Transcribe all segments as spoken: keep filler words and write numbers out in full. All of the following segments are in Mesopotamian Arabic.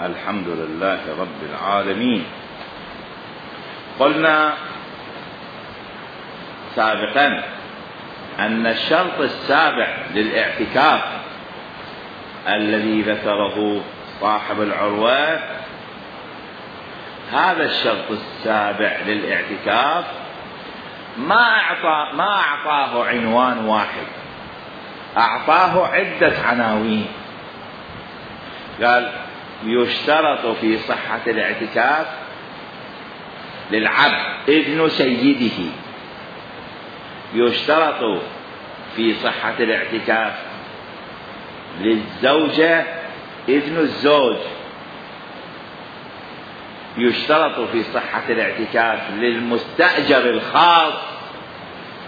الحمد لله رب العالمين. قلنا سابقا أن الشرط السابع للاعتكاف الذي ذكره صاحب العروة، هذا الشرط السابع للاعتكاف ما أعطى ما أعطاه عنوان واحد، أعطاه عدة عناوين. قال: يشترط في صحة الاعتكاف للعبد إذن سيده، يشترط في صحة الاعتكاف للزوجة إذن الزوج، يشترط في صحة الاعتكاف للمستأجر الخاص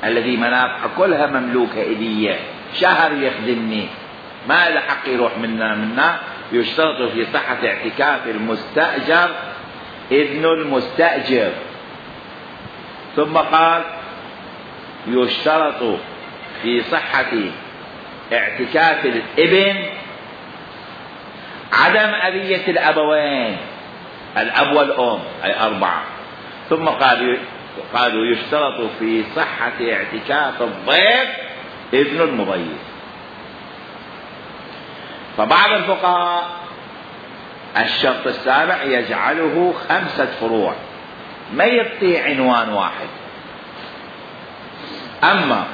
الذي منافعه كلها مملوكة إلي، شهر يخدمني ما له حق يروح منا منا، يشترط في صحة اعتكاف المستأجر إذن المستأجر. ثم قال: يشترط في صحة اعتكاف الابن عدم أذية الأبوين، الأب والأم أي أربعة. ثم قال قالوا يشترط في صحة اعتكاف الضيف إذن المضيف. فبعض الفقهاء الشرط السابع يجعله خمسة فروع، ما يعطي عنوان واحد. أما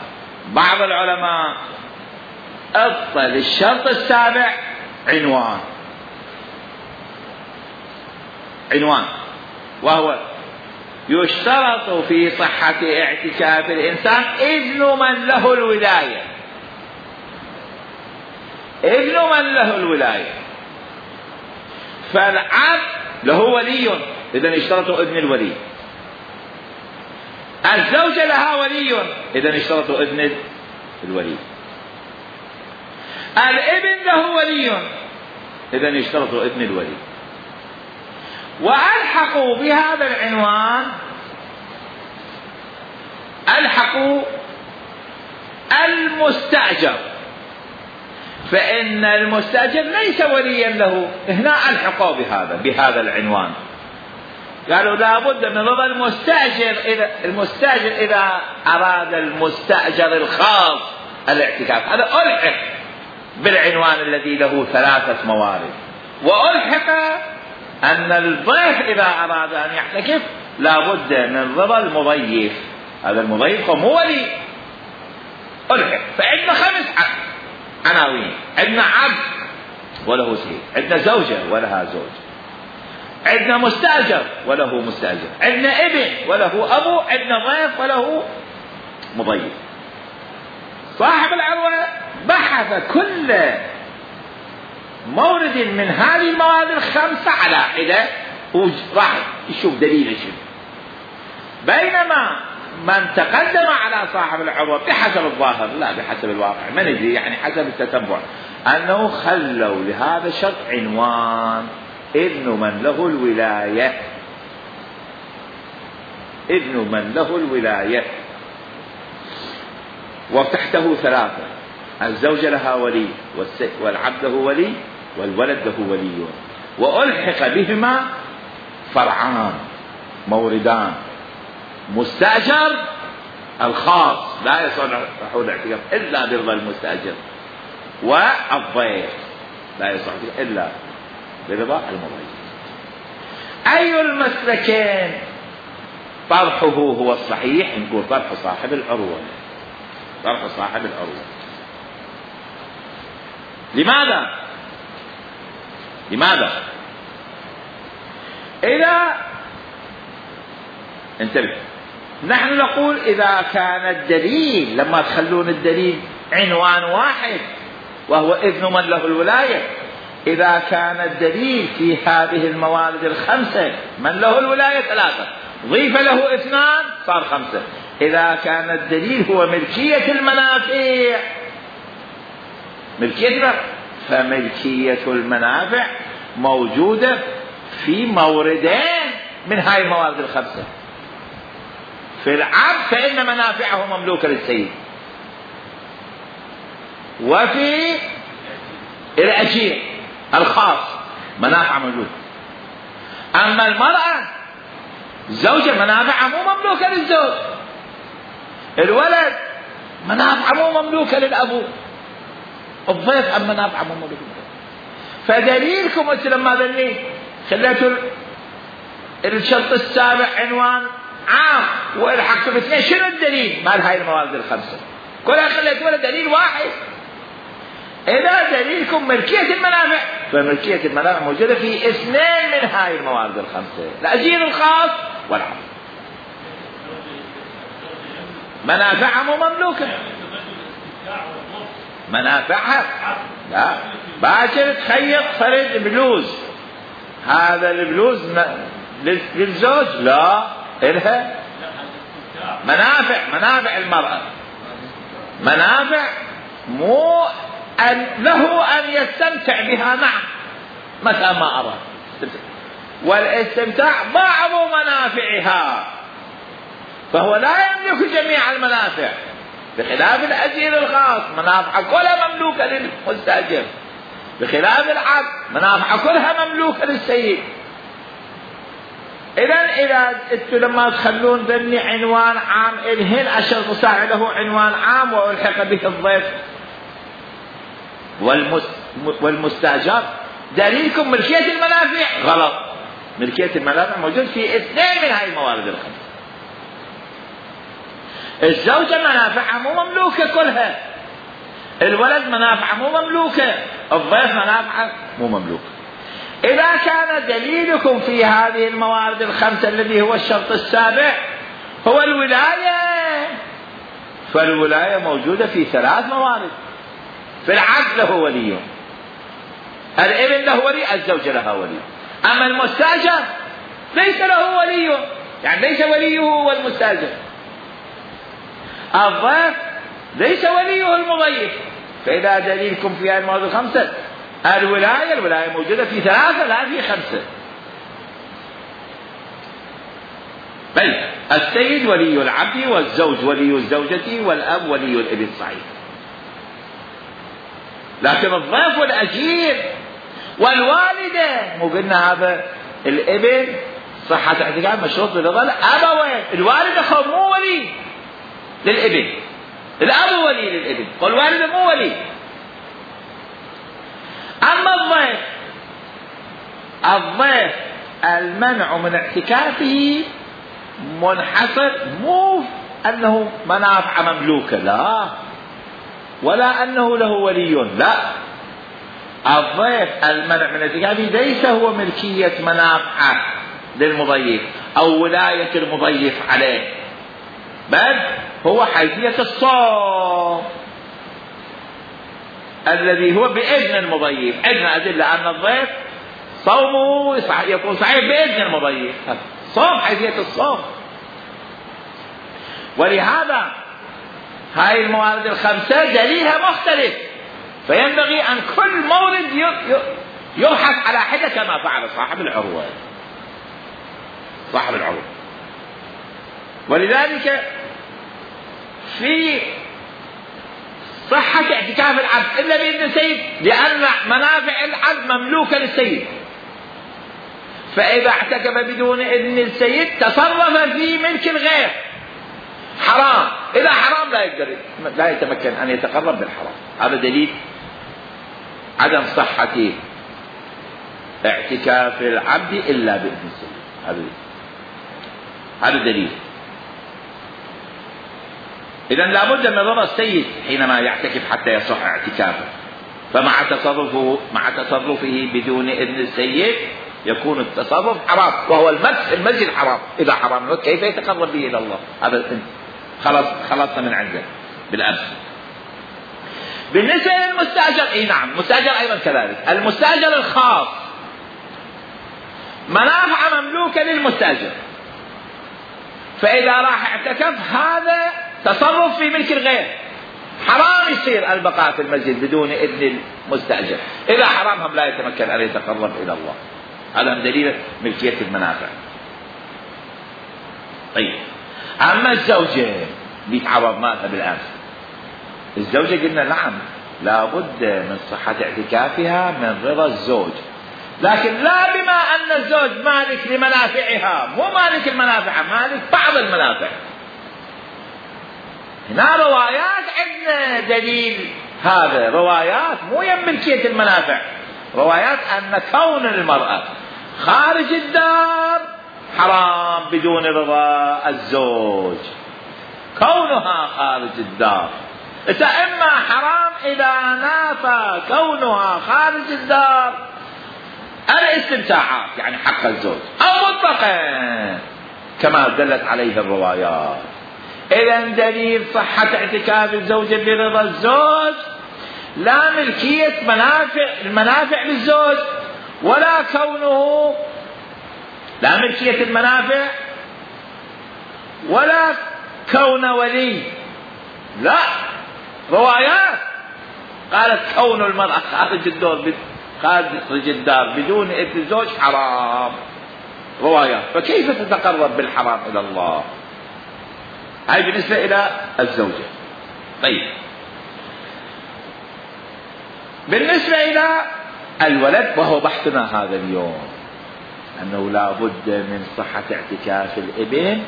بعض العلماء أعطى للشرط السابع عنوان عنوان وهو: يشترط في صحة اعتكاف الإنسان إذن من له الولاية، إذن من له الولاية. فالعبد له ولي، إذن يشترط إذن الولي. الزوجة لها ولي، إذن يشترط إذن الولي. الابن له ولي، إذن يشترط إذن الولي. وألحقوا بهذا العنوان ألحقوا المستأجر، فإن المستأجر ليس وليا له، هنا ألحقوا بهذا بهذا العنوان. قالوا لا بد من رضا المستأجر، إذا المستأجر إذا أراد المستأجر الخاص الاعتكاف، هذا ألحق بالعنوان الذي له ثلاثة موارد. وألحق أن الضيف إذا أراد أن يعتكف لا بد من رضا المضيف، هذا المضيف هو ولي. ألحق. فعندنا خمس عناوين: عندنا عبد وله سيد، عندنا زوجة ولها زوج، عندنا مستأجر وله مستأجر، عندنا ابن وله أبو، عندنا ضيف وله مضيف. صاحب العروة بحث كل مورد من هذه المواد الخمسة على حدة وراح يشوف دليل شنو. بينما من تقدم على صاحب العروة بحسب الظاهر لا بحسب الواقع ما ندري، يعني حسب التتبع، أنه خلوا لهذا الشرط عنوان: إذن من له الولاية، إذن من له الولاية. وتحته ثلاثة: الزوجة لها ولي، والعبد له ولي، والولد له ولي. وألحق بهما فرعان موردان: مستأجر الخاص لا يصلح الاعتكاف إلا برضا المستأجر، والضيف لا يصلح إلا برضا المضيف. أي المسلكين طرحه هو الصحيح؟ نقول طرح صاحب العروة، طرح صاحب العروة. لماذا؟ لماذا؟ إذا انتبه، نحن نقول إذا كان الدليل، لما تخلون الدليل عنوان واحد وهو إذن من له الولاية، إذا كان الدليل في هذه الموارد الخمسة من له الولاية ثلاثة، ضيف له اثنان صار خمسة. إذا كان الدليل هو ملكية المنافع، ملكية المنافع، فملكية المنافع موجودة في موردين من هاي الموارد الخمسة. في العبد فإن منافعه مملوكة للسيد، وفي الأجير الخاص منافع موجودة. أما المرأة الزوجة منافعها مو مملوكة للزوج، الولد منافعه مو مملوكة للأبو، الضيف أم منافعه مو مملوكة للأبو. فدليلكم أنت لما ذني خليتوا الشرط السابع عنوان عام والحقتوا باثنين، شنو الدليل مال هاي الموارد الخمسة؟ كلها خليتوا له دليل واحد. إذا دليلكم ملكية المنافع، فملكية المنافع موجودة في اثنين من هاي الموارد الخمسة، الأجير الخاص والعام. منافعها مو مملوكة، منافعها لا. باكر تخيط فرد بلوز، هذا البلوز للزوج لا، إلها منافع، منافع المرأة منافع مو أن له أن يستمتع بها، نعم متى ما أراد، والاستمتاع بعض منافعها، فهو لا يملك جميع المنافع، بخلاف الأجير الخاص منافع كلها مملوكة للمستأجر، بخلاف العبد منافع كلها مملوكة للسيد. إذا إذا انتم لما تخلون ذني عنوان عام الهن الشرط السابع له عنوان عام والحق به الضيف والمستأجر، دليلكم ملكية المنافع غلط. ملكية المنافع موجود في اثنين من هاي الموارد الخمسة. الزوجة منافعها مو مملوكة كلها، الولد منافعه مو مملوكة، الضيف منافعه مو مملوكة. إذا كان دليلكم في هذه الموارد الخمسة الذي هو الشرط السابع هو الولاية، فالولاية موجودة في ثلاث موارد. في العقد له ولي، الابن له ولي، الزوجة لها ولي. أما المستأجر ليس له ولي، يعني ليس وليه هو المستأجر. الضيف ليس وليه المضيف. فإذا دليلكم في هذه الموارد الخمسة الولاية، الولاية موجودة في ثلاثة لا في خمسة. بل السيد ولي العبد، والزوج ولي الزوجة، والأب ولي الابن، صحيح. لكن الضيف والأجير والوالدة مو قلنا هذا الابن صحة اعتقاد مشروط برضا الأبوين، الوالدة خو مو ولي للابن، الأب ولي للابن والوالدة مو ولي. أما الضيف، الضيف المنع من اعتكافه منحصر مو أنه منافع مملوكة، لا، ولا أنه له ولي، لا. الضيف المنع من اعتكافه ليس هو ملكية منافع للمضيف أو ولاية المضيف عليه، بل هو حيثية الصوم الذي هو بإذن المضيف. عندنا أدلة أن الضيف صومه يكون صحيح بإذن المضيف، صوم حيثية الصوم. ولهذا هاي الموارد الخمسة دليلها مختلف، فينبغي أن كل مورد يبحث على حدة كما فعل صاحب العروة صاحب العروة. ولذلك في صحة اعتكاف العبد إلا بإذن السيد، لأن منافع العبد مملوكة للسيد، فإذا اعتكف بدون إذن السيد تصرف في ملك الغير، حرام. إذا حرام لا يقدر لا يتمكن أن يتقرب بالحرام. هذا دليل عدم صحة اعتكاف العبد إلا بإذن السيد. هذا هذا دليل. إذن لابد من رضا السيد حينما يعتكف حتى يصح اعتكافه، فمع تصرفه مع تصرفه بدون إذن السيد يكون التصرف حرام، وهو المسجد المسجد حرام. إذا حرام كيف يتقرب به إلى الله؟ هذا خلاص خلصنا من عنده بالأمس. بالنسبة للمستأجر، إيه نعم المستأجر أيضا كذلك. المستأجر الخاص منافع مملوكة للمستأجر، فإذا راح اعتكف هذا تصرف في ملك الغير، حرام يصير البقاء في المسجد بدون إذن المستأجر. إذا حرام هم لا يتمكن أن يتقرب إلى الله. هذا من دليل ملكية المنافع. طيب، أما الزوجة بيتعرض مالها بالأمس، الزوجة قلنا نعم لابد من صحة اعتكافها من رضا الزوج، لكن لا بما أن الزوج مالك لمنافعها، مو مالك المنافع، مالك بعض المنافع. هنا روايات عندنا دليل، هذا روايات مو يم ملكية المنافع، روايات أن كون المرأة خارج الدار حرام بدون رضا الزوج، كونها خارج الدار. إما حرام إذا نافى كونها خارج الدار الاستمتاعات يعني حق الزوج، أو مطلقا كما دلت عليه الروايات. إذا دليل صحة اعتكاف الزوجة برضا الزوج لا ملكية منافع المنافع للزوج، ولا كونه لا ملكية المنافع، ولا كون ولي، لا، روايات قالت كون المرأة خارج الدار خارج الدار بدون إذن الزوج حرام، روايات. فكيف تتقرب بالحرام إلى الله؟ هاي بالنسبة إلى الزوجة. طيب، بالنسبة إلى الولد، وهو بحثنا هذا اليوم، أنه لا بد من صحة اعتكاف الابن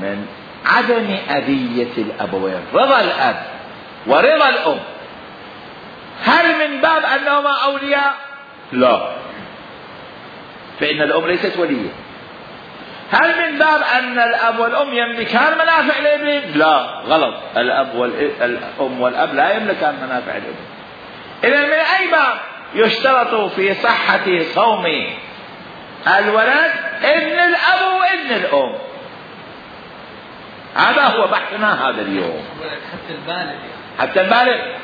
من عدم أذية الأبوين، رضا الأب ورضا الأم. هل من باب أنهما أولياء؟ لا، فإن الأم ليست ولية. هل من باب أن الأب والأم يملكان منافع الابن؟ لا، غلط، الأب والأم والأب لا يملكان منافع الابن. إذا من أي باب يشترط في صحة صوم الولد إذن الأب وإذن الأم؟ هذا هو بحثنا هذا اليوم. حتى البالغ حتى البالغ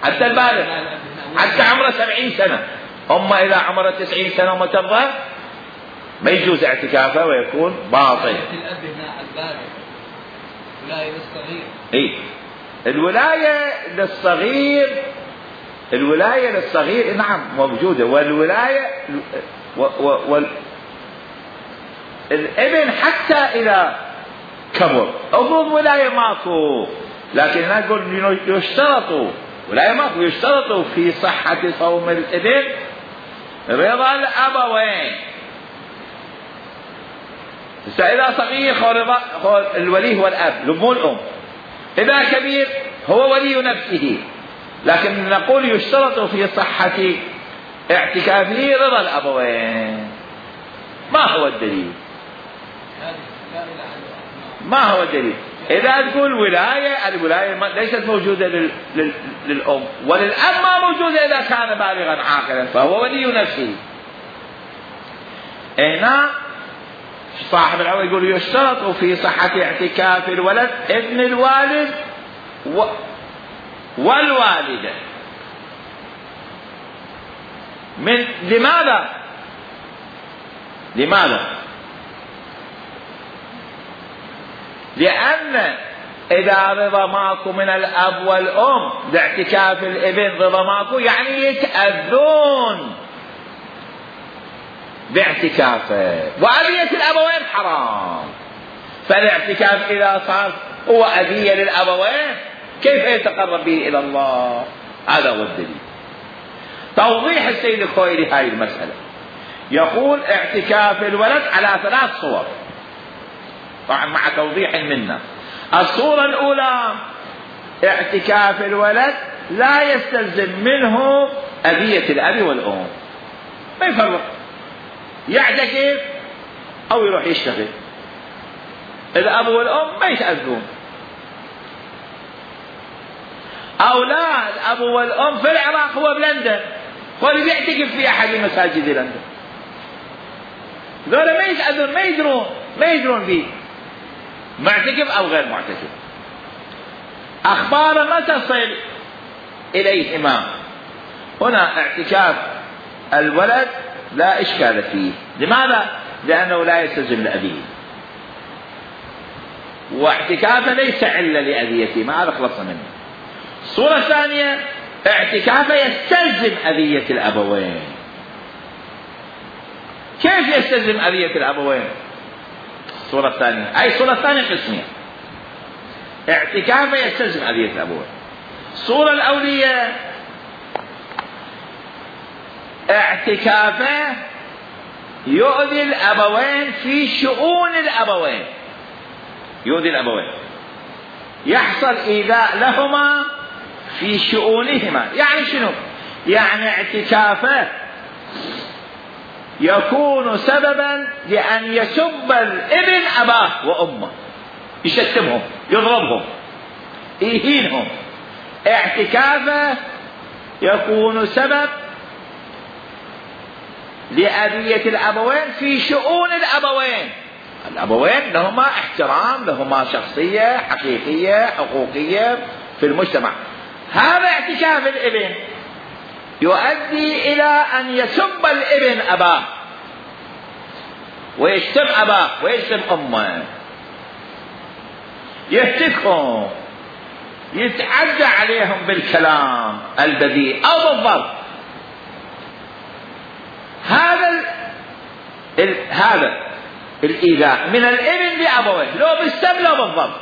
حتى البالغ حتى عمره سبعين سنة. أما إذا عمره تسعين سنة وما ترضى ما يجوز اعتكافه ويكون باطل. الأب هنا البالغ، ولاية للصغير. إيه، الولاية للصغير، الولاية للصغير نعم موجودة، والولاية و و وال الابن حتى إذا كبر أفرض ولاية ماكو، لكن نقول يشترط ولاية ماكو، يشترط في صحة صوم الابن رضا الأبوين. إذا صغير هو الولي هو الأب مو الأم، إذا كبير هو ولي نفسه، لكن نقول يشترط في صحة اعتكافه رضا الأبوين. ما هو الدليل؟ ما هو الدليل؟ إذا تقول ولاية، الولاية ليست موجودة لل... لل... للأم، وللأب ما موجودة إذا كان بالغا عاقلا فهو ولي نفسه. هنا صاحب العون يقول يشترط في صحة اعتكاف الولد ابن الوالد و... والوالدة. من لماذا؟ لماذا؟ لأن إذا رضا ماكو من الأب والأم لاعتكاف الابن رضا ماكو يعني يتأذون باعتكافه، وأذية الأبوين حرام. فالاعتكاف إذا صار هو أذية للأبوين كيف يتقرب به إلى الله؟ هذا هو الدليل. توضيح السيد الخوئيلي هاي المسألة، يقول اعتكاف الولد على ثلاث صور، طبعا مع توضيح منا. الصورة الأولى اعتكاف الولد لا يستلزم منه أذية الأب والأم، ما يفرق، يعتكف أو يروح يشتغل، الأب والأم ما يتأذون. أو لا، الأب والأم في العراق هو بلندن، هو اللي بيعتكف في أحد مساجد لندن، ذولا ما يتأذون، ما يدرون ما يدرون به معتكف أو غير معتكف. أخبار ما تصل إليهما. هنا اعتكاف الولد لا إشكال فيه. لماذا؟ لأنه لا يستلزم لأبيه، واعتكافه ليس علة لأذيته، ما هذا خلصنا منه. الصورة الثانية اعتكافه يستلزم أذية الأبوين. كيف يستلزم أذية الأبوين؟ الصورة الثانية، أي الصورة الثانية قسمية، اعتكافه يستلزم أذية الأبوين. الصورة الأولية اعتكافه يؤذي الأبوين في شؤون الأبوين، يؤذي الأبوين، يحصل إيذاء لهما في شؤونهما. يعني شنو؟ يعني اعتكافه يكون سببا لأن يسب الابن أباه وأمه، يشتمهم، يضربهم، يهينهم. اعتكافه يكون سبب لأذية الأبوين في شؤون الأبوين. الأبوين لهما احترام، لهما شخصية حقيقية حقوقية في المجتمع. هذا اعتكاف الابن يؤدي إلى أن يسب الابن أباه ويشتم أباه ويشتم أمه، يهتكهم، يتعدى عليهم بالكلام البذيء أو بالضرب. هذا ال... ال... هذا الإيذاء من الابن لأبويه، لو بالسب لو بالضرب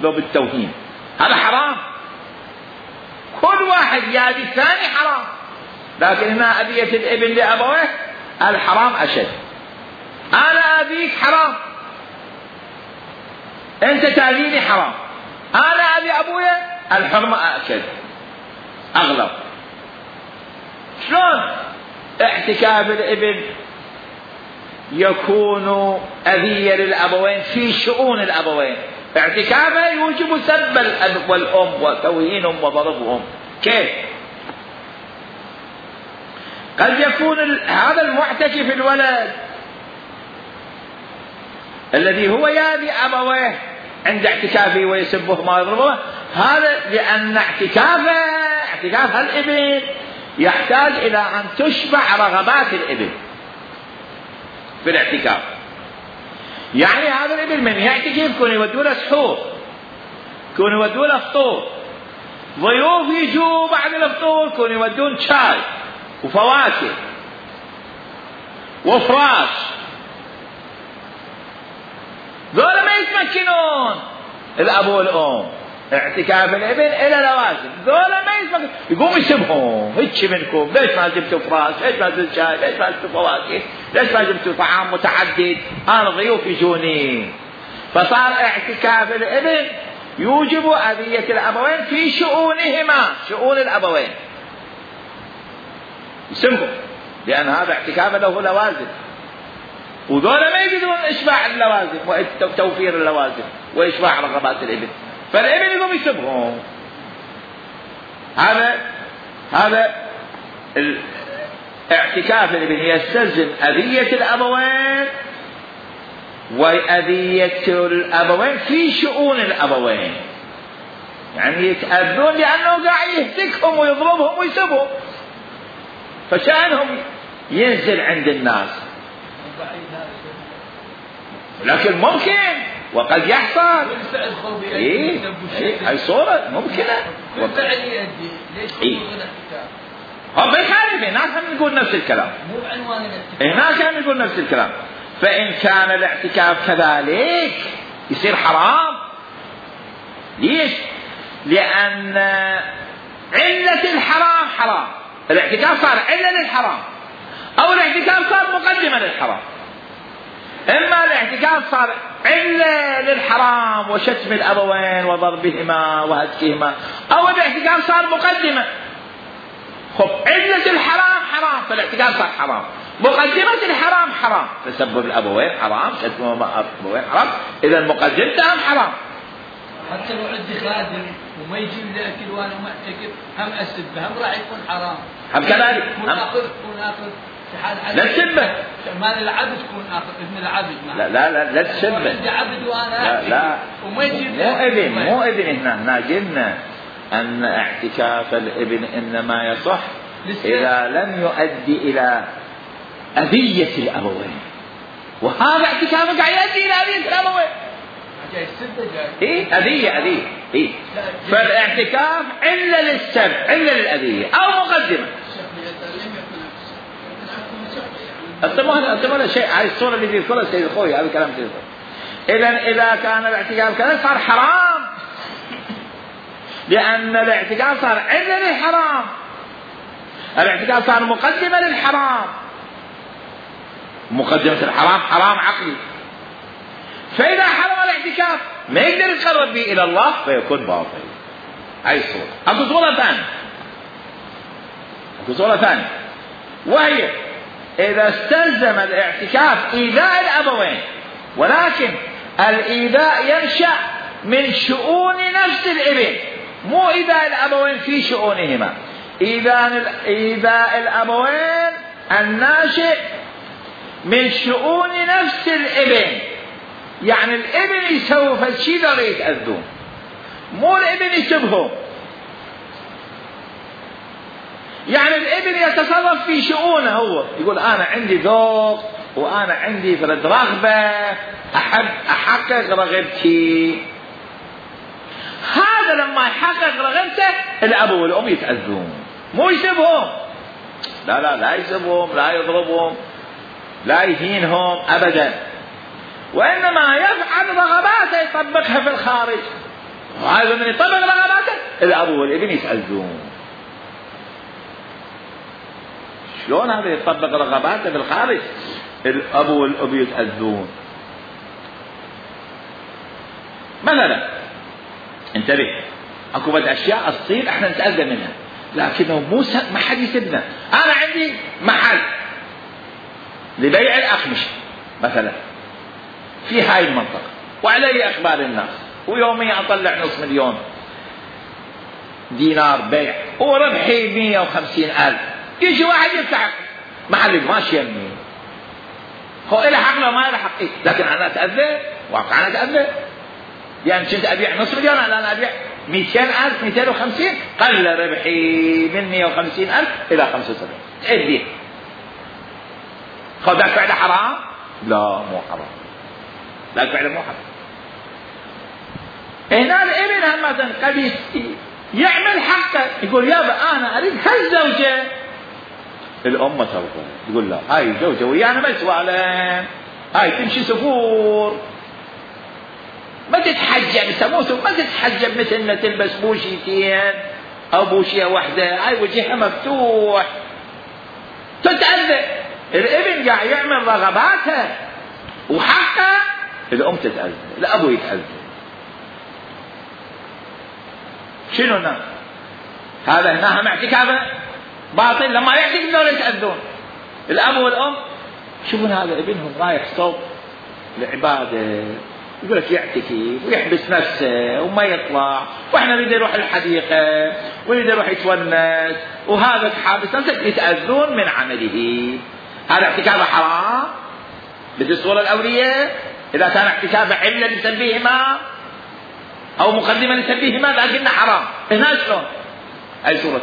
لو بالتوهين، هذا حرام. كل واحد يأذي الثاني حرام، لكن هنا أذية الابن لأبويه الحرام أشد. أنا أذيك حرام، أنت تأذيني حرام، أنا أذي أبويا الحرمة أكد أغلب. شلون اعتكاف الابن يكون أذية للأبوين في شؤون الأبوين؟ اعتكافه يوجب سب الأب والأم وتوهينهم وضربهم. كيف؟ قد يكون هذا المعتكف الولد الذي هو يأذي أبويه عند اعتكافه ويسبهما ويضربهما، هذا لأن اعتكافه اعتكاف الابن يحتاج إلى أن تشبع رغبات الابن في الاعتكاف. يعني هذا الابن من يعتكف يكون يودوا له سحور، يكون يودوا له فطور، ضيوف يجوا بعد الفطور يكون يودون شاي وفواكه وفراش. ذولا ما يتمكنون الأب والأم. اعتكاف الابن إلى لوازم، ذولا ما يتمكنون، يقوم يسبهم، هيك منكم ليش ما جبتوا فراش، ليش ما جبتوا شاي، ليش ما جبتوا فواكه، ليش ما جبتوا طعام متعدد، أنا ضيوف يجوني. فصار اعتكاف الابن يوجب أذية الأبوين في شؤونهما، شؤون الأبوين يسمهم، لأن هذا اعتكاف له لوازم، وذولا ما يجدون إشباع اللوازم وتوفير اللوازم وإشباع رغبات الابن، فالابن يقوم يسبهم. هذا هذا الاعتكاف الابن يستلزم أذية الأبوين وأذية الأبوين في شؤون الأبوين، يعني يتأذون لأنه قاعد يهتكهم ويضربهم ويسبهم، فشأنهم ينزل عند الناس. لكن ممكن وقد يحصل. ايه هاي صورة ممكنة. والفعل يؤدي. ليش يقولون الاعتكاف؟ هم بيخالف، هناك هم نقول نفس الكلام. مو بعنوان الاعتكاف. هناك هم نقول نفس الكلام. فإن كان الاعتكاف كذلك يصير حرام. ليش؟ لأن علة الحرام حرام. الاعتكاف صار علة للحرام، أو الاعتكاف صار مقدمة للحرام. إما الاعتكاف صار علة للحرام وشتم الأبوين وضربهما وهتكهما، أو الاعتكاف صار مقدمة. خب علة الحرام حرام، فالاعتكاف صار حرام. مقدمة الحرام حرام، تسبب الأبوين حرام، شتم الأبوين حرام، إذا مقدمتهم حرام. حتى لو عندي خادم وما يجيب لي أكل وأنا معتكف هم أسبه، هم راح يكون حرام. هم كذلك. كون آخذ كون آخذ. لا تسبه. مال العبد تكون آخذ ابن العبد. لا لا لا لا تسبه. عندي عبد وأنا لا لا. وما يجيب مو ابن مو ابن هنا هنا قلنا أن اعتكاف الابن إنما يصح إذا لم يؤدي إلى أذية الأبوين، وهذا اعتكافه قاعد يؤدي إلى أذية الأبوين. إيه أذية أذية إيه. فالاعتكاف علة للسب، علة للأذية أو مقدمة. الطمأنينة الطمأنينة شيء، هاي الصورة اللي بيذكرها سيد الخوي، هذا الكلام سيد الخوي. إذا إذا كان الاعتكاف كذا صار حرام، لأن الاعتكاف صار علة للحرام. الاعتكاف كان مقدمة للحرام، مقدمة الحرام حرام عقلي، فإذا حرم الاعتكاف ما يقدر يتقرب به إلى الله فيكون باطل. هاي الصورة. أكو صورة ثانية، أكو صورة ثانية وهي إذا استلزم الاعتكاف إيذاء الأبوين، ولكن الإيذاء ينشأ من شؤون نفس الابن، مو إيذاء الأبوين في شؤونهما، إيذاء الأبوين الناشئ من شؤون نفس الابن. يعني الابن يسوي فالشيء ذا يتأذون، مو الابن يسبهم. يعني الابن يتصرف في شؤونه، هو يقول أنا عندي ذوق وأنا عندي فرد رغبة أحب أحقق رغبتي، هذا لما يحقق رغبته الأب والأم يتأذون، مو يسبهم. لا لا لا يسبهم، لا يضربهم، لا يهينهم أبدا، وإنما يفعل رغباته يطبقها في الخارج. وهذا من يطبق رغباته الأب والابن يتأذون. شلون هذا يطبق رغباته في الخارج؟ الأب والأب يتأذون. مثلا انتبه، اكو بعض اشياء تصير احنا نتأذى منها، لكنه مو ما حد يسبنا. انا عندي محل لبيع الاقمشه مثلا في هاي المنطقه وعلي اخبار الناس، ويوميا اطلع نص مليون دينار بيع وربحي مية وخمسين الف، يجي واحد يفتح محل ماشي يمي، هو إله حق له ما إله حق، لكن انا اتأذى، واقع انا اتأذى. يعني كنت ابيع نص مليون، الان ابيع مئتين الف مئتين وخمسين، قل ربحي من مئة وخمسين الف الى خمسة وسبعين، تأذيه. خذ ذاك فعله حرام؟ لا مو حرام، ذاك فعله مو حرام. هنا الابن هم مثلا قد يعمل حقه، يقول يابا انا اريد هالزوجه، الام ترضى، يقول لا هاي زوجه ويانا ما سوالين، هاي تمشي سفور، ما تتحجب سموسه، ما تتحجب مثل ما تلبس بوشيتين او بوشيه واحده، هاي وجهها مفتوح، تتأذى. الابن قاعد يعمل رغباته وحقه، الام تتأذى، الابو يتأذى. شنو هنا؟ هذا هنا هم اعتكافه باطل، لما يعتكف دول يتأذون الاب والام. شوفون هذا ابنهم رايح صوب العباده، يقول لك يعتكف ويحبس نفسه وما يطلع، واحنا نريد نروح الحديقه ونريد نروح يتونس، وهذا حابس نفسه، يتأذون من عمله. هذا اعتكافه حرام مثل الصورة الأولية. إذا كان اعتكافه علة لسبيهما أو مقدمة لسبيهما لكنه حرام. هنا شلون؟ أي صورة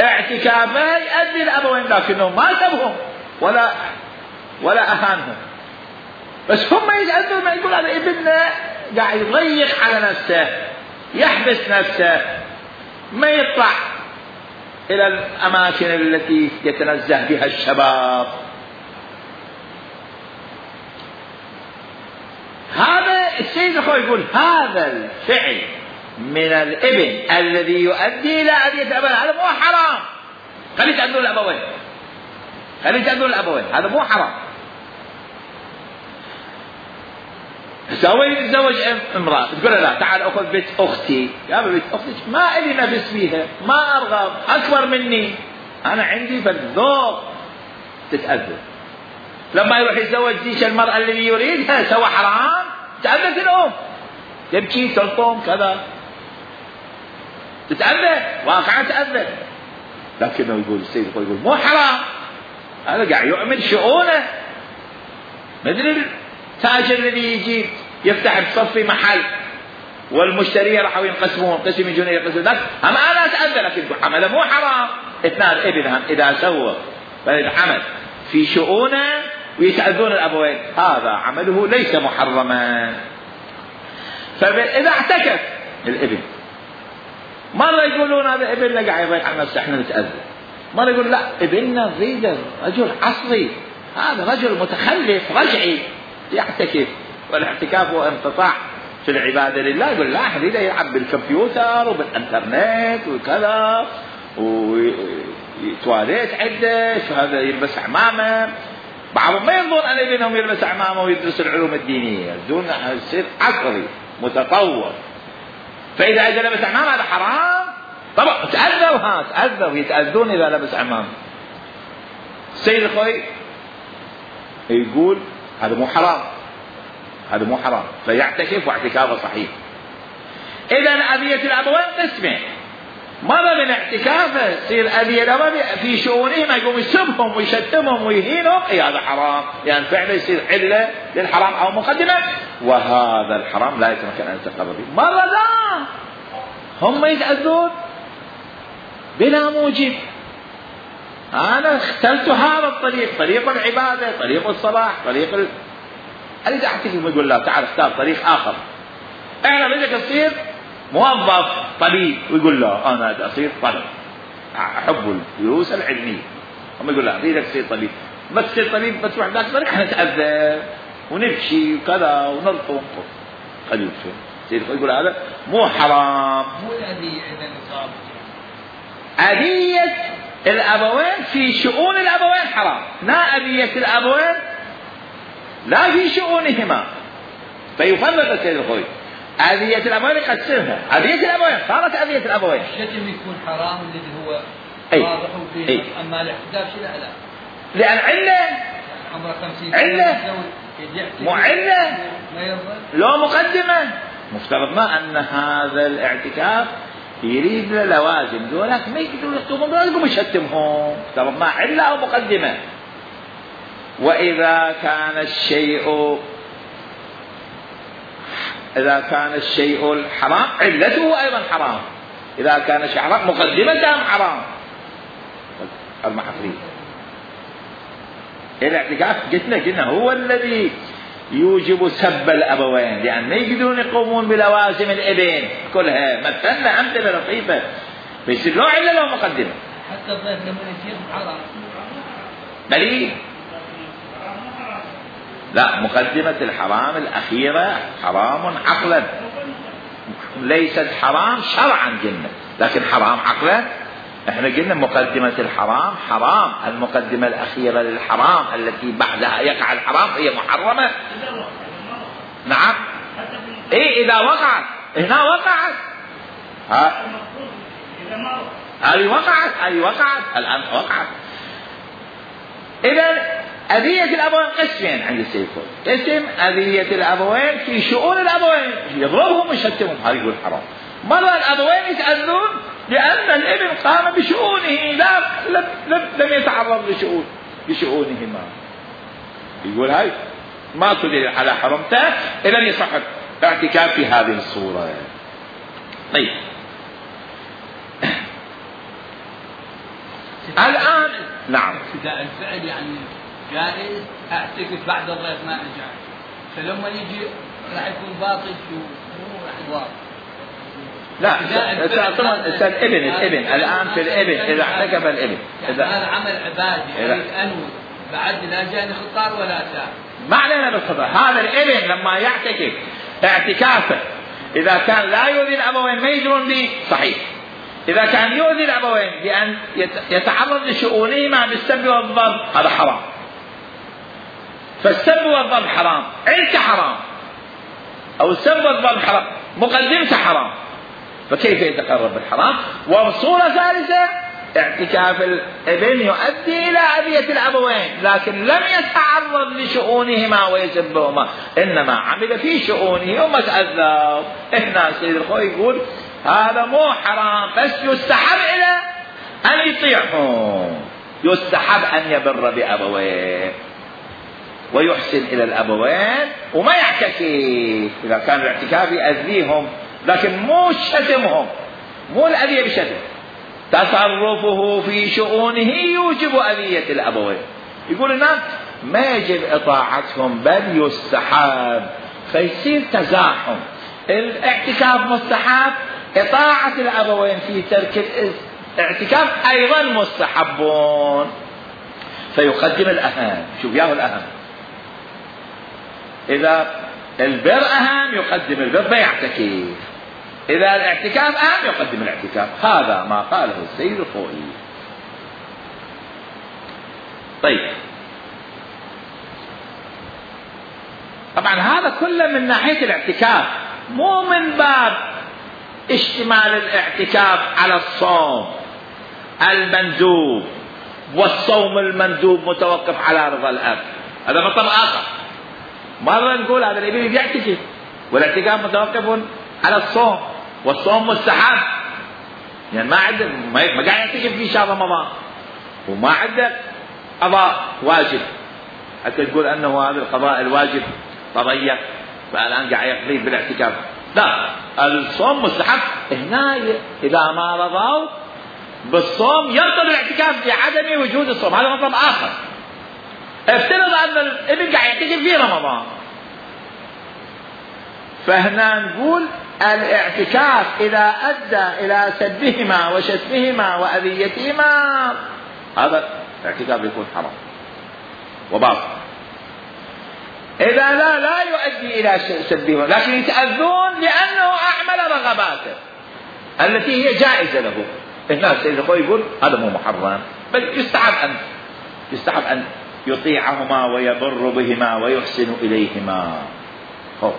اعتكافه يؤدي الأبوين، لكنه ما سبهم ولا ولا أهانهم، بس هم يتأذون. ما يقول هذا ابننا قاعد يضيق على نفسه، يحبس نفسه، ما يطلع إلى الأماكن التي يتنزه بها الشباب. هذا السيد الخوي يقول هذا الفعل من الابن الذي يؤدي إلى أذية الأبوين، هذا مو حرام. خلي يتأذون الأبوين، خلي يتأذون الأبوين، هذا مو حرام. سوي يتزوج امرأة تقول لا تعال أخذ بيت أختي، يا بيت أختك ما إلي نفس فيها، ما أرغب، أكبر مني، أنا عندي فالذوق، تتأذى. لما يروح يتزوج ذيك المرأة اللي يريدها سوى حرام، تأذت الأم، تبكي تلطم كذا، تتأذى، واقعا تأذى. لكنه يقول السيد يقول مو حرام، هذا قاعد يؤمن شؤونه. مدري التاجر الذي يجي يفتح بصفي محل والمشتري راحوا ينقسمون، قسم يجون يقسمون، أما أنا أتأذى، لكن عمله مو حرام. اثنان ابنهم إذا سوى فالعمل في شؤونه ويتأذون الأبوين، هذا عمله ليس محرما. فإذا اعتكف الابن، مرة يقولون هذا ابننا قاعد يضيق على نفسه احنا نتأذى، مرة يقول لا ابننا نريده رجل عصري، هذا رجل متخلف رجعي يعتكف، والاعتكاف هو انقطاع في العبادة لله. يقول لا نريده يلعب بالكمبيوتر وبالانترنت وكذا، تواليت عدة، شو هذا يلبس عمامة. بعضهم ما يرضون أن ابنهم يلبس عمامة ويدرس العلوم الدينية، يريدون يصير عصري متطور. فإذا أجى لبس عمامة هذا حرام. طبعا تأذوا، ها تأذوا، يتأذون إذا لبس عمامة. السيد الخوي يقول هذا مو حرام، هذا مو حرام، فيعتكف واعتكافه صحيح. إذا أذية الأبوين قسمين، مرة من اعتكافه يصير أذية الأبوين في شؤونهم، يقوم يسبهم ويشتمهم ويهينهم، أي هذا حرام، يعني فعلا يصير علة للحرام أو مقدمة، وهذا الحرام لا يتمكن أن يتقرب به. مرة لا، هم يتأذون بلا موجب. أنا اخترت هذا الطريق، طريق العبادة، طريق الصلاح، طريق ال... أريد أعتكف، يقول لا تعال اختار طريق آخر. أنا بدك تصير موظف طبيب، ويقول لا أنا أريد أصير طبيب، أحب الدروس العلمية. هم يقول لا أريد أصير طبيب، بس تصير طبيب بس تروح ذاك الطريق احنا نتأذى ونبكي وكذا ونرطم. خليل شو سيد يقول هذا مو حرام. مو الأذية إذا نصاب. أذية الأبوين في شؤون الأبوين حرام، لا أذية الأبوين لا في شؤونهما. فيفرق السيد الخوي أذية الأبوين يقسمها. أذية الأبوين صارت أذية الأبوين. الشتم يكون حرام الذي هو أي. واضح فيه، أي. أما الاحتجاج لا لا. لأن علة عمره خمسين علة مو علة ما يرضى. لو مقدمة مفترض ما أن هذا الاعتكاف يريد لوازم دولك ما يقدرون يخطبون دولكم يشتمهم، مفترض ما علة أو مقدمة. وإذا كان الشيء إذا كان الشيء الحرام علته أيضا حرام، إذا كان شيء حرام مقدمة حرام. المحفرين الاعتكاف قلنا قلنا هو الذي يوجب سب الأبوين، لأن ما يقدرون يقومون بلوازم الابن كلها. مثلنا أمثلة لطيفة بيصير له علة له مقدمة. حتى الضيف لما يجي حرام بلي لا، مقدمة الحرام الأخيرة حرام عقلا، ليست حرام شرعا قلنا، لكن حرام عقلا. احنا قلنا مقدمة الحرام حرام، المقدمة الأخيرة للحرام التي بعدها يقع الحرام هي محرمة. نعم ايه إذا وقعت، هنا وقعت، ها هذه وقعت، هذه وقعت الآن وقعت. إذا أذية الأبوين قسمين عند السيد الخوي. قسم أذية الأبوين في شؤون الأبوين، يضربهم ويشتمهم، هذا يقول حرام. مرة الأبوين يتأذون لأن الابن قام بشؤونه، لا لم, لم, لم يتعرض لشؤون لشؤونهما، يقول هاي ما تدل على حرمته، إذا يصح اعتكاف في هذه الصورة. طيب الآن نعم ابتداء الفعل يعني جائز، اعتكف بعد الضيف ما رجع، فلما يجي راح يكون باطل شو مو راح يواصل. لا طبعا الابن الابن الآن في الابن إذا اعتكف الابن إذا هذا عمل عبادي يريد أنوي بعد لا جاني خطار ولا تاب، ما علينا بالخطر. هذا الابن لما يعتكف اعتكافه إذا كان لا يؤذي الأبوين ما يدرون به صحيح، إذا كان يؤذي الأبوين بأن يتعرض لشؤونهما بالسب والضرب هذا حرام. فالسب والضرب حرام، علته حرام، أو السب والضرب حرام، مقدمته حرام، فكيف يتقرب بالحرام؟ وصورة ثالثة اعتكاف الابن يؤدي إلى أذية الأبوين، لكن لم يتعرض لشؤونهما ويسبهما، إنما عمل في شؤونه وما تأذى. إحنا سيد الخوي يقول هذا مو حرام، بس يستحب إلى أن يطيعهم، يستحب أن يبر بأبويه ويحسن إلى الأبوين وما يعتكف إذا كان الاعتكاف يأذيهم، لكن مو شتمهم، مو الأذية بشتم. تصرفه في شؤونه يوجب أذية الأبوين. يقول الناس ما يجب إطاعتهم بل يستحب، فيصير تزاحم. الاعتكاف مستحب، إطاعة الأبوين في ترك الاعتكاف أيضا مستحبون، فيقدم الأهم. شوف ياهو الأهم، إذا البر أهم يقدم البر فيعتكف، إذا الاعتكاف أهم يقدم الاعتكاف. هذا ما قاله السيد الخوئي. طيب طبعا هذا كله من ناحية الاعتكاف، مو من باب اشتمال الاعتكاف على الصوم المندوب والصوم المندوب متوقف على رضا الأب، هذا مطلب آخر. مرة نقول هذا الإبن يعتكف والاعتكاف متوقف على الصوم، والصوم مستحب، يعني ما عنده ما قاعد يعتكف في شهر رمضان وما عنده قضاء واجب حتى تقول أنه هذا القضاء الواجب تضيق فالآن قاعد يقضي بالاعتكاف. لا، الصوم مستحب. هنا إذا ما رضوا بالصوم يبطل الاعتكاف بعدم وجود الصوم، هذا مطلب آخر. افترض أن الابن قاعد يعتكف في رمضان، فهنا نقول الاعتكاف إذا أدى إلى سبهما وشتمهما وأذيتهما هذا الاعتكاف يكون حرام وباطل. إذا لا لا يؤدي إلى سبهما لكن يتأذون لأنه أعمل رغباته التي هي جائزة له. الناس سيد الخوي يقول هذا مو محرم، بل يستحب أن يستحب أن يطيعهما ويبر بهما ويحسن إليهما. هو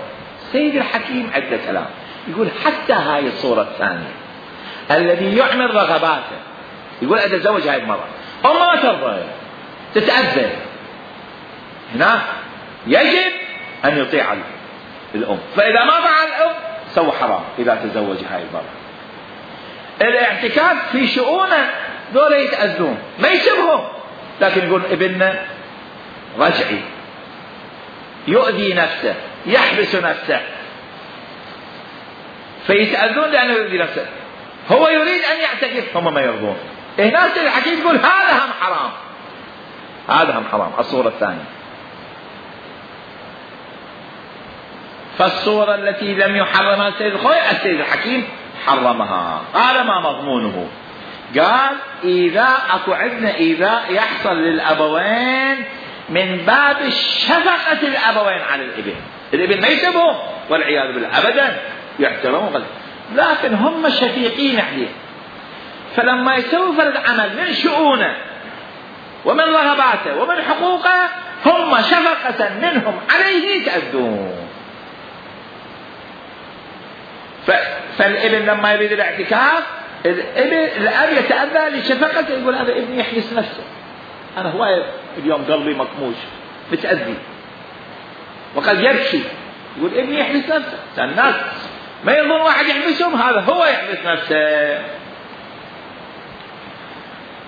سيد الحكيم عدة كلام يقول حتى هاي الصورة الثانية الذي يعمل رغباته، يقول أتزوج هاي المرأة أم ما ترضى تتأذى، هنا يجب أن يطيع الأم، فإذا ما فعل الأم سوى حرام إذا تزوج هاي المرأة. الاعتكاف في شؤونه دول يتأذون ما يسبهم، لكن يقول ابننا رجعي يؤذي نفسه يحبس نفسه فيتأذون لأنه يؤذي نفسه، هو يريد أن يعتكف هم ما يرضون. هنا سيد الحكيم يقول هذا هم حرام، هذا هم حرام. الصورة الثانية فالصورة التي لم يحرمها السيد الخوي السيد الحكيم حرمها. قال ما مضمونه؟ قال إذا أكو عندنا إذا يحصل للأبوين من باب الشفقة الأبوين على الابن، الابن ما يسبهم والعياذ بالله أبدا، يحترمون لكن هم شفيقين عليه، فلما يسوي فرد عمل من شؤونه ومن رغباته ومن حقوقه هم شفقة منهم عليه يتأذون. فالابن لما يريد الاعتكاف الابن الأب يتأذى لشفقته، يقول هذا ابني يحبس نفسه، أنا هواي اليوم قلبي مكموش متأذي، وقد يبكي يقول ابني يحبس نفسه. الناس ما يظن واحد يحبسهم، هذا هو يحبس نفسه.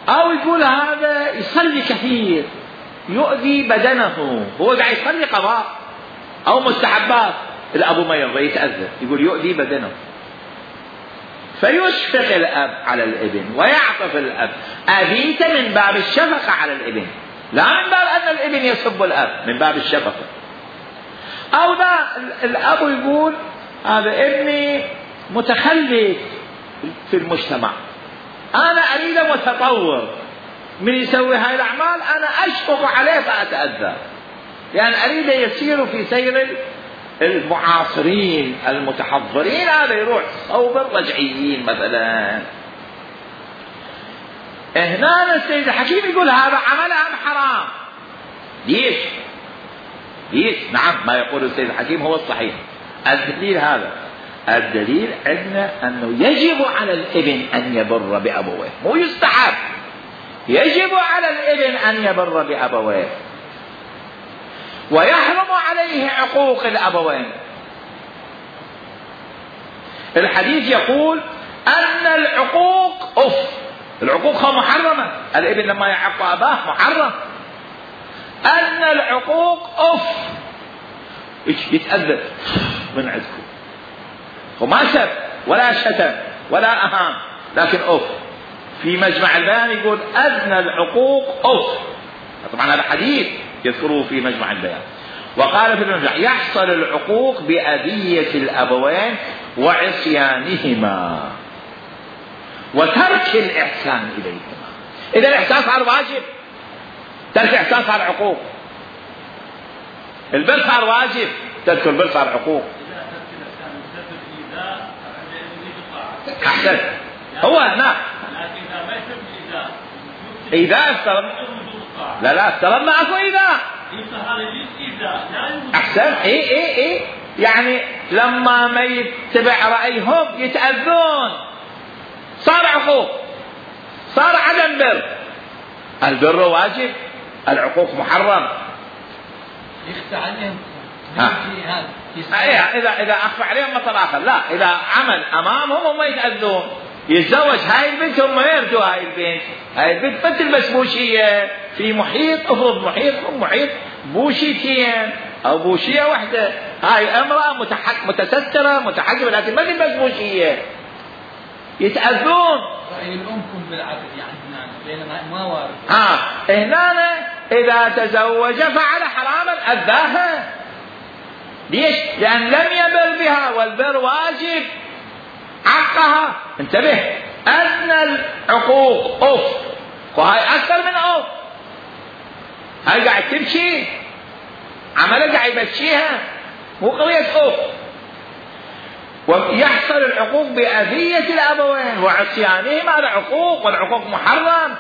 أو يقول هذا يصلي كثير يؤذي بدنه، هو قاعد يصلي قضاء أو مستحبات، الأبو ما يرضى يتأذى يقول يؤذي بدنه، فيشفق الأب على الابن ويعطف الأب. أبيت من باب الشفقة على الابن، لا من باب أن الابن يسب الأب، من باب الشفقة. أو لا الأب يقول هذا ابني متخلف في المجتمع، أنا أريد متطور، من يسوي هاي الأعمال أنا أشفق عليه فأتأذى، لأن يعني أريد يسير في سير المعاصرين المتحضرين، هذا يروح صوب الرجعيين مثلا. هنا السيد الحكيم يقول هذا عملها حرام. ليش؟ ليش؟ نعم ما يقول السيد الحكيم هو الصحيح. الدليل هذا، الدليل عندنا أنه يجب على الابن أن يبر بأبويه، مو يستحب، يجب على الابن أن يبر بأبويه، ويحرم عليه عقوق الأبوين. الحديث يقول أن العقوق أف، العقوق محرمة، الابن لما يعق أباه محرم. أن العقوق أف يتأذى من عندكم، وما سب ولا شتم ولا أهان، لكن أف. في مجمع البيان يقول أدنى العقوق أف، طبعا هذا حديث يذكره في مجمع البيان. وقال في المجمع يحصل العقوق بأذية الأبوين وعصيانهما وترك الإحسان إليهما. إذا الإحسان صار واجب، ترك الإحسان صار عقوق. البر صار واجب، ترك البر صار عقوق. أحسن، هو هنا إذا افترض لا لا افترض معكم إذا أحسن. إيه إيه إيه يعني لما ما يتبع رأيهم يتأذون، صار عقوق، صار عدم بر. البر واجب، العقوق محرم. يخفى عليهم إذا إذا أخفى عليهم مثل آخر، لا إذا عمل أمامهم هم يتأذون. يتزوج هاي البنت هم يرجوا هاي البنت، هاي البنت ما تلبس بوشية في محيط، افرض محيط محيط بوشيتين أو بوشية واحدة، هاي امرأة متسترة متحجبة لكن ما تلبس بوشية، يتأذون. رأي الأم كن بالعقد يعني بينما ما وارد. ها هنا إذا تزوج فعل حراما أذاها. ليش؟ لأن لم يبر بها، والبر واجب، عقها. انتبه، أدنى العقوق أوف، وهاي أكثر من أوف. هاي قاعد تبكي، عمله قاعد يبكيها، مو قضية أوف. ويحصل العقوق بأذية الأبوين وعصيانهما، هذا عقوق، والعقوق محرم.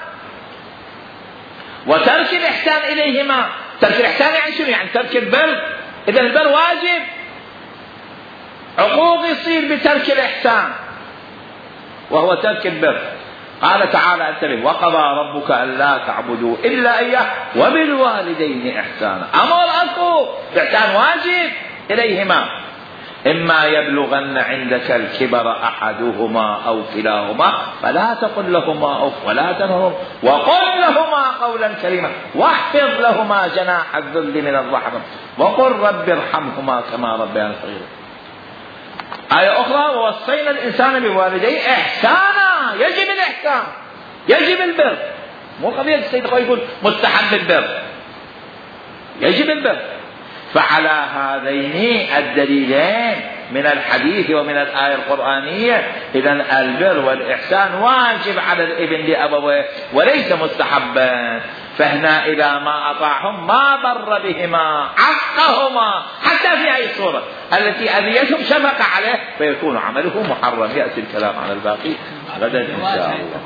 وترك الإحسان إليهما، ترك الإحسان يعني شنو؟ يعني ترك البر. إذا البر واجب، عقوق يصير بترك الإحسان وهو ترك البر. قال تعالى انتبه: وقضى ربك ألا تعبدوا إلا إياه وبالوالدين إحسانا. أمر أكو إحسان واجب إليهما. إما يبلغن عندك الكبر أحدهما أو كلاهما فلا تقل لهما أف ولا تنهرهما وقل لهما قولا كريما واحفظ لهما جناح الذل من الرحمة وقل رب ارحمهما كما ربياني صغيرا. آية أخرى: ووصينا الإنسان بوالديه إحسانا. يجب الإحسان، يجب البر، مو قضية السيد يقول مستحب البر، يجب البر. فعلى هذين الدليلين من الحديث ومن الآية القرآنية إذن البر والإحسان واجب على الابن لأبويه وليس مستحبا. فهنا إذا ما أطاعهم ما بر بهما، عقهما حتى في هذه الصورة التي أذيتهم شفق عليه، فيكون عمله محرم. يأتي الكلام على الباقي غدا إن شاء الله.